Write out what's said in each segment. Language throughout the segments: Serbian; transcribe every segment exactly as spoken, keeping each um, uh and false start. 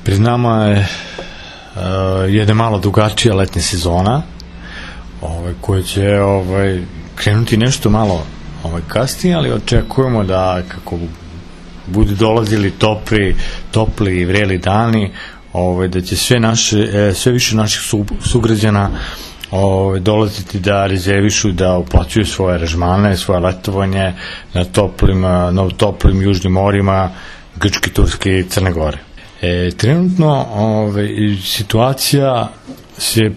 Pred nama je uh, jedna malo drugačija letnja sezona, ovaj, koja će ovaj, krenuti nešto malo ovaj, kasnije, ali očekujemo da kako budu dolazili topli, topli i vreli dani, ovaj, da će sve, naše, sve više naših su, sugrađana ovaj, dolaziti da rezervišu, da uplaćuju svoje aranžmane, svoje letovanje na toplim, na toplim južnim morima Grčke, Turske i Crne Gore. E, trenutno ove, situacija se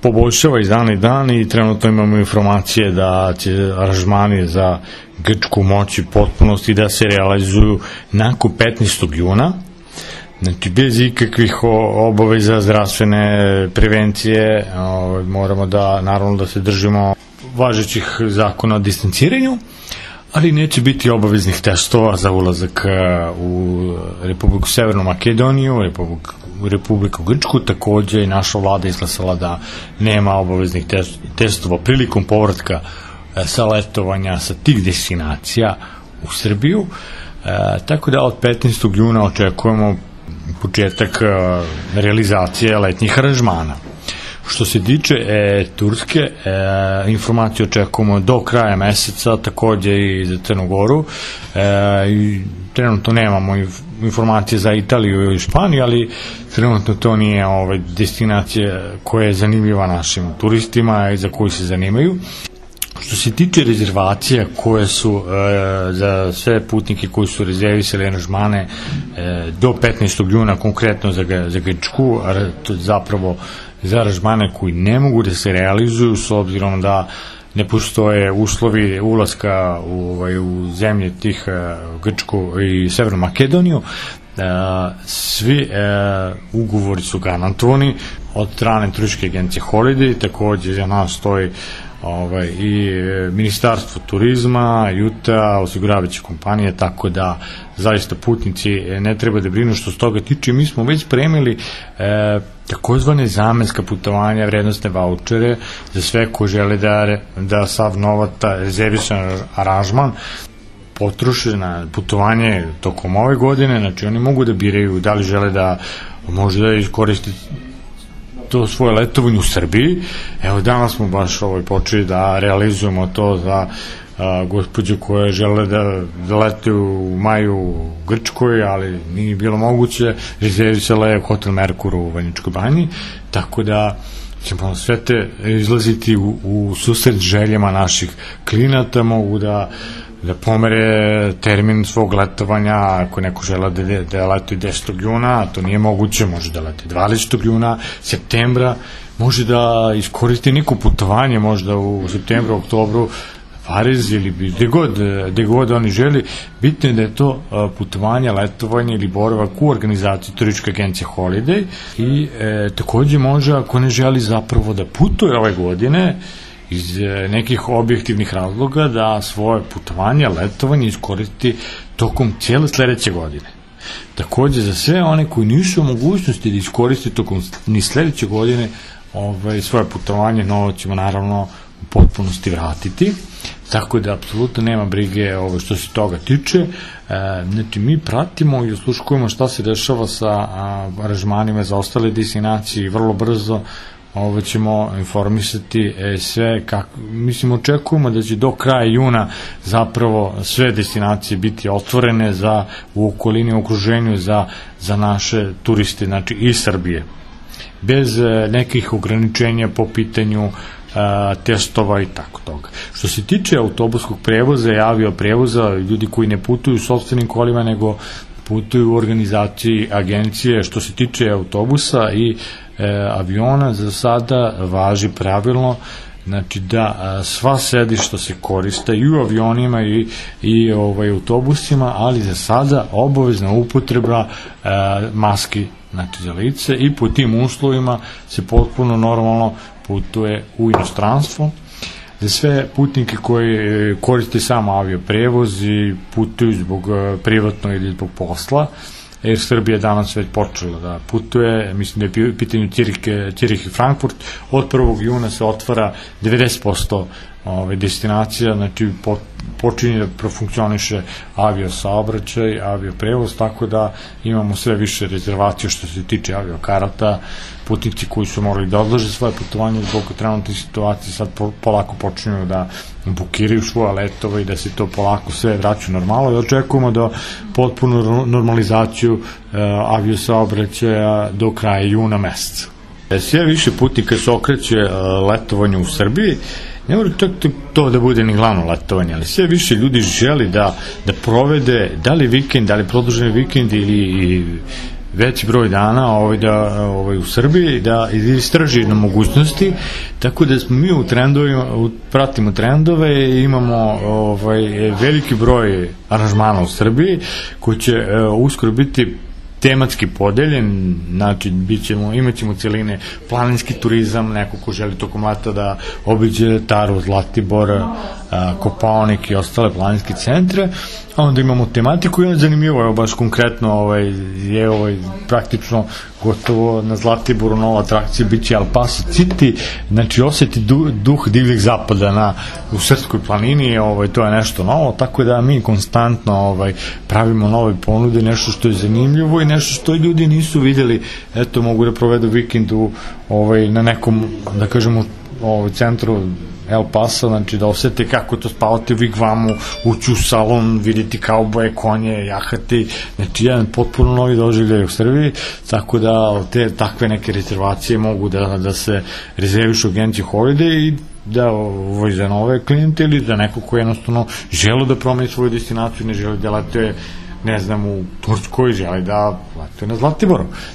poboljšava iz dana i dan i trenutno imamo informacije da će aranžmani za Grčku moći potpunosti da se realizuju nakon petnaestog juna, znači bez ikakvih obaveza zdravstvene prevencije. Ove, moramo da naravno da se držimo važećih zakona o distanciranju, ali neće biti obaveznih testova za ulazak u Republiku Severnu Makedoniju, Republiku, Republiku Grčku. Takođe i naša vlada izglasala da nema obaveznih testova prilikom povratka sa letovanja sa tih destinacija u Srbiju. E, tako da od petnaestog juna očekujemo početak realizacije letnjih aranžmana. Što se tiče e, Turske, e, informacije očekujemo do kraja meseca, takođe i za Crnu Goru. E, i trenutno nemamo informacije za Italiju i Španiju, ali trenutno to nije ovaj, destinacija koja je zanimljiva našim turistima i za koju se zanimaju. Što se tiče rezervacija koje su e, za sve putnike koji su rezervisali aranžmane e, do petnaestog juna, konkretno za, za Grčku, to je zapravo za aranžmane koji ne mogu da se realizuju s obzirom da ne postoje uslovi ulaska u, ovaj, u zemlje tih uh, Grčku i Severnu Makedoniju. Uh, svi uh, ugovori su garantovani od strane turističke agencije Holiday, takođe za nas stoji ovaj, i Ministarstvo turizma, Juta, osiguravajuće kompanije, tako da zaista putnici ne treba da brinu što s toga tiče. Mi smo već premili e, takozvane zamenska putovanja, vrednostne vaučere za sve ko žele da, da sav novac rezervisan aranžman potroše na putovanje tokom ove godine. Znači oni mogu da biraju da li žele da možda iskoriste to svoje letovanje u Srbiji. Evo danas smo baš ovaj, počeli da realizujemo to za a, gospođe koje žele da, da lete u maju u Grčkoj, ali nije bilo moguće, rezervisala je hotel Merkur u Vrnjačkoj Banji, tako da ćemo sve te izlaziti u, u susret željama naših klijenata, mogu da da pomere termin svog letovanja. Ako neko žele da, da leti desetog juna, a to nije moguće, može da leti dvadesetog juna, septembra, može da iskoristi neko putovanje, možda u septembru, oktobru, Pariz ili gde god, gde god oni želi. Bitno je da je to putovanje, letovanje ili boravak u organizaciji turističke agencije Holiday i e, takođe može, ako ne želi zapravo da putuje ove godine, iz nekih objektivnih razloga, da svoje putovanje, letovanje iskoristi tokom cijele sledeće godine. Takođe, za sve one koji nisu u mogućnosti da iskoristi tokom ni sledeće godine ovaj, svoje putovanje, novac ćemo naravno u potpunosti vratiti, tako da apsolutno nema brige ovaj, što se toga tiče. E, znači, mi pratimo i osluškujemo šta se dešava sa a, aranžmanima za ostale destinacije i vrlo brzo ovo ćemo informisati e, sve, kako, mislim, očekujemo da će do kraja juna zapravo sve destinacije biti otvorene za, u okolini, u okruženju za, za naše turiste, znači i Srbije, bez e, nekih ograničenja po pitanju e, testova i tako toga. Što se tiče autobuskog prevoza i avioprevoza, ljudi koji ne putuju sopstvenim kolima, nego putuju u organizaciji agencije, što se tiče autobusa i e, aviona, za sada važi pravilno, znači da a, sva sedišta se koriste i u avionima i, i ovaj, autobusima, ali za sada obavezna upotreba a, maski, znači za lice, i po tim uslovima se potpuno normalno putuje u inostranstvo. Za sve putnike koji koriste samo avioprevoz i putuju zbog privatno ili zbog posla, Air Srbija danas već počela da putuje, mislim da je u pitanju Cirih i Frankfurt. Od prvog juna se otvara devedeset posto ove, destinacija, znači po, počinje da profunkcioniše avio saobraćaj, avio prevoz, tako da imamo sve više rezervacija što se tiče avio karata, putnici koji su morali da odlože svoje putovanje zbog trenutne situacije sad po, polako počinju da bukiraju svoje letove i da se to polako sve vraća normalno i očekujemo da potpunu normalizaciju e, avio saobraćaja do kraja juna meseca. Sve više putnika se okreće e, letovanju u Srbiji. Ne mora čak to da bude ni glavno letovanje, ali sve više ljudi želi da, da provede, da li vikend, da li produženi vikend ili veći broj dana ovaj, da, ovaj, u Srbiji, da istraži na mogućnosti, tako da smo mi u trendovima, pratimo trendove i imamo ovaj, veliki broj aranžmana u Srbiji koji će uh, uskoro biti tematski podeljen, znači bit ćemo, imat ćemo celine planinski turizam, neko ko želi tokom leta da obiđe Taru, Zlatibor, Kopaonik i ostale planinske centre, a onda imamo tematiku i zanimljivo je baš konkretno ovaj, je ovaj, praktično gotovo na Zlatiboru nova atrakcija biće El Paso City, znači osjeti du, duh divljeg zapada na, u Srpskoj planini, ovaj, to je nešto novo, tako da mi konstantno ovaj, pravimo nove ponude, nešto što je zanimljivo i nešto što ljudi nisu videli, eto mogu da provedu vikendu ovaj, na nekom, da kažemo, ovaj, centru El Paso, znači da osete kako to spavate u vigvamu, ući u salon, vidjeti kauboje, konje, jahati, znači jedan potpuno novi doživljaj u Srbiji, tako da te takve neke rezervacije mogu da, da se rezervišu u agenciji Holiday i da ovo za nove klijente ili za neko ko jednostavno žele da promeni svoju destinaciju, ne žele da letuje ne znam, u Turskoj, žele da letuje na Zlatiboru.